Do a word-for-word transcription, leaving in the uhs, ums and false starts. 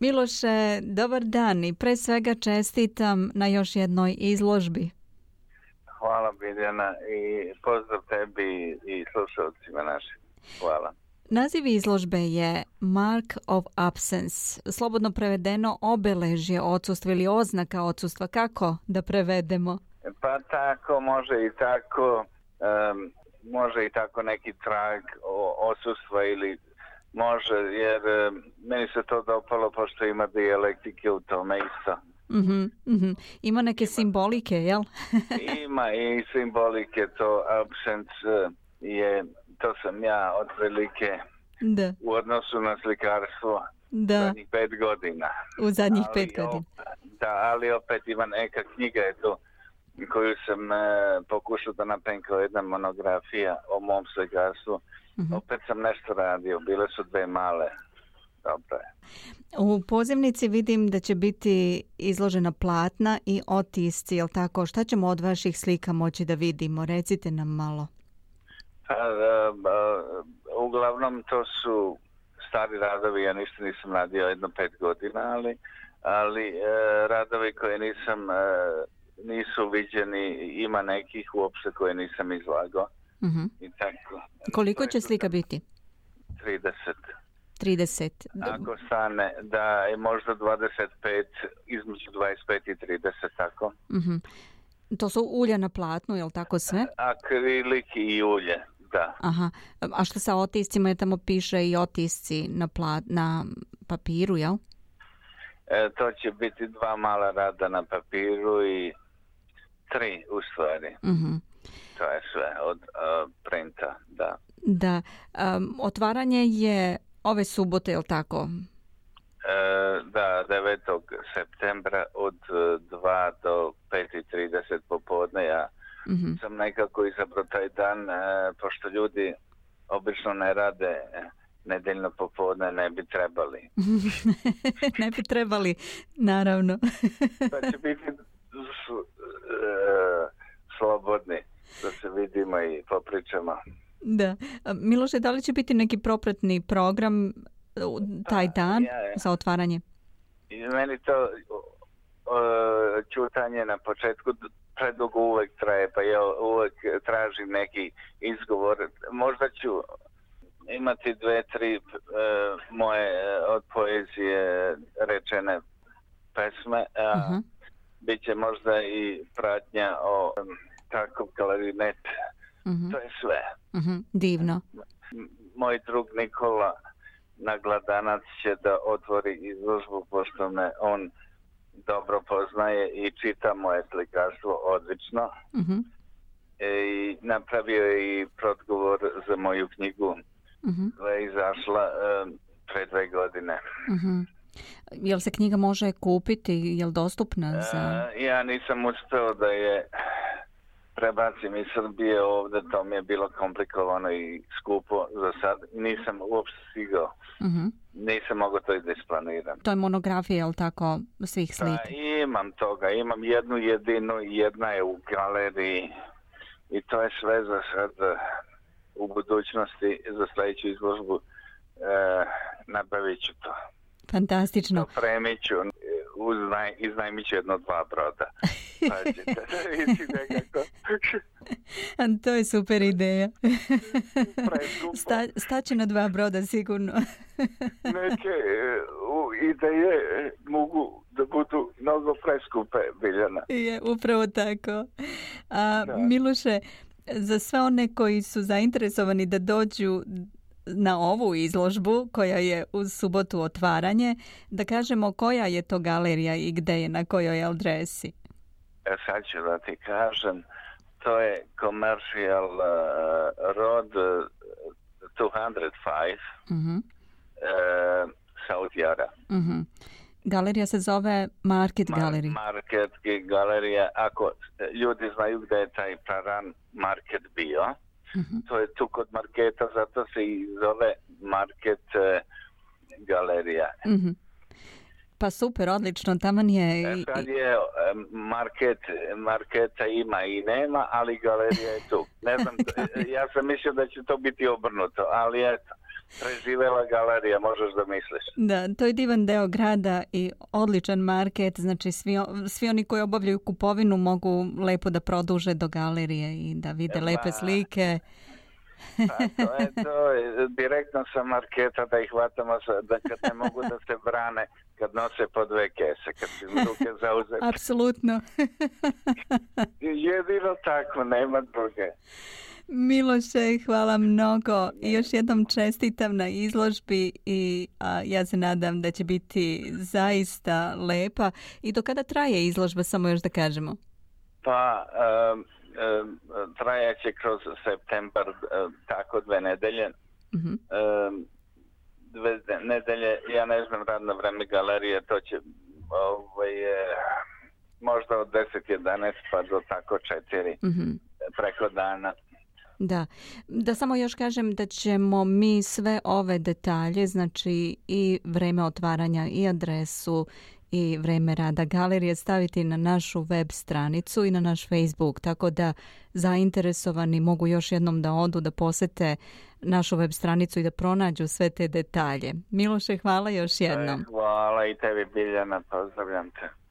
Miloše, dobar dan i pre svega čestitam na još jednoj izložbi. Hvala Biljana i pozdrav tebi i slušalcima našim. Hvala. Naziv izložbe je Mark of Absence, slobodno prevedeno obeležje odsustva ili oznaka odsustva. Kako da prevedemo? Pa tako, može i tako, um, može i tako neki trag odsustva ili može, jer um, meni se to dopalo pošto ima dijalektike u tome isto. Mm-hmm, mm-hmm. Ima neke ima, simbolike, jel? Ima i simbolike, to absence je, to sam ja otprilike da. U odnosu na slikarstvo da. Zadnjih pet godina. U zadnjih ali pet godina. Opet, da, ali opet ima neka knjiga je tu koju sam e, pokušao da napravim kao jedna monografija o mom slikarstvu. Mm-hmm. Opet sam nešto radio, bile su dve male. Dobro je. U pozivnici vidim da će biti izložena platna i otisci, jel tako? Šta ćemo od vaših slika moći da vidimo? Recite nam malo. Pa, uh, uh, uglavnom to su stari radovi, ja ništa nisam radio jedno pet godina, ali, ali uh, radovi koje nisam, uh, nisu viđeni, ima nekih uopšte koje nisam izlagao. Mm-hmm. I tako. Koliko će slika biti? trideset. trideset. Ako stane, da je možda dvadeset pet, između dvadeset pet i trideset, tako. Mm-hmm. To su ulja na platnu, je li tako sve? Akrilik i ulje, da. Aha. A što sa otiscima, je tamo piše i otisci na, plat, na papiru, jel? E, to će biti dva mala rada na papiru i tri u stvari. Mm-hmm. To je sve od uh, printa, da. Da. Um, otvaranje je ove subote, je li tako? E, da, devetog septembra od dva do pet i trideset popodne. Ja mm-hmm. sam nekako izabrao taj dan, e, pošto ljudi obično ne rade nedeljno popodne, ne bi trebali. Ne bi trebali, naravno. Da će biti s, e, slobodni, da se vidimo i popričamo. Da. Miloše, da li će biti neki propratni program taj dan ja, ja. za otvaranje? I meni to uh, čutanje na početku predugo uvek traje, pa ja uvek tražim neki izgovor. Možda ću imati dve, tri uh, moje od poezije rečene pesme, a uh-huh. biće možda i pratnja o um, tako klarinet. Uh-huh. To je sve. Uh-huh. Divno. Moj drug Nikola Nagladanac će da otvori izložbu, pošto me on dobro poznaje i čita moje slikarstvo odlično. Uh-huh. E, i napravio je i predgovor za moju knjigu uh-huh. koja je izašla um, pre dve godine. Uh-huh. Jel se knjiga može kupiti? Jel dostupna za... E, ja nisam uspeo da je prebacim iz Srbije ovde, to mi je bilo komplikovano i skupo za sad. Nisam uopšte stigao. Uh-huh. Nisam mogao to i da isplaniram. To je monografija, je li tako, svih slika? Pa, imam toga. Imam jednu jedinu, jedna je u galeriji i to je sve za sad. U budućnosti za sledeću izložbu e, nabavit ću to. Fantastično. Dopremit ću, uznaj, iznajmit ću jedno dva broda. Pa ćete da vidjeti nekako. To je super ideja. Sta, staće na dva broda sigurno. Neke u, ideje mogu da budu mnogo preskupe, Biljana. Je, upravo tako. A, Miloše, za sve one koji su zainteresovani da dođu na ovu izložbu koja je uz subotu otvaranje, da kažemo koja je to galerija i gde je, na kojoj adresi? E, sad ću da ti kažem, to je Commercial uh, Road uh, dvjesto pet, uh-huh. uh, South Yara. Uh-huh. Galerija se zove Market Mar- Gallery. Market Galerija, ako ljudi znaju gde je taj praran market bio, uh-huh. to je tu kod marketa, zato se i zove Market uh, Galerija. Uh-huh. Pa super, odlično, taman je... I, sad je market, marketa ima i nema, ali galerija je tu. Ne znam, ja sam mislio da će to biti obrnuto, ali eto, preživela galerija, možeš da misliš. Da, to je divan deo grada i odličan market, znači svi, svi oni koji obavljaju kupovinu mogu lepo da produže do galerije i da vide Ema. lepe slike. Pa to je to, direktno sa marketa da ih hvatamo, da kad ne mogu da se brane, kad nose po dve kese, kad si ruke zauzeti. Apsolutno. Jedino tako, nema druge. Miloše, hvala mnogo i još jednom čestitam na izložbi i a, ja se nadam da će biti zaista lepa. I do kada traje izložba, samo još da kažemo? Pa, um, um, trajaće kroz septembar, um, tako dve nedelje. Uh-huh. Um, dve nedelje, ja ne znam radno vreme galerije, to će ovaj, možda od deset jedanaest pa do tako četiri uh-huh. preko dana. Da, da samo još kažem da ćemo mi sve ove detalje, znači i vreme otvaranja i adresu i vreme rada galerije staviti na našu web stranicu i na naš Facebook, tako da zainteresovani mogu još jednom da odu, da posete našu web stranicu i da pronađu sve te detalje. Miloše, hvala još jednom. Hvala i tebi, Biljana, pozdravljam te.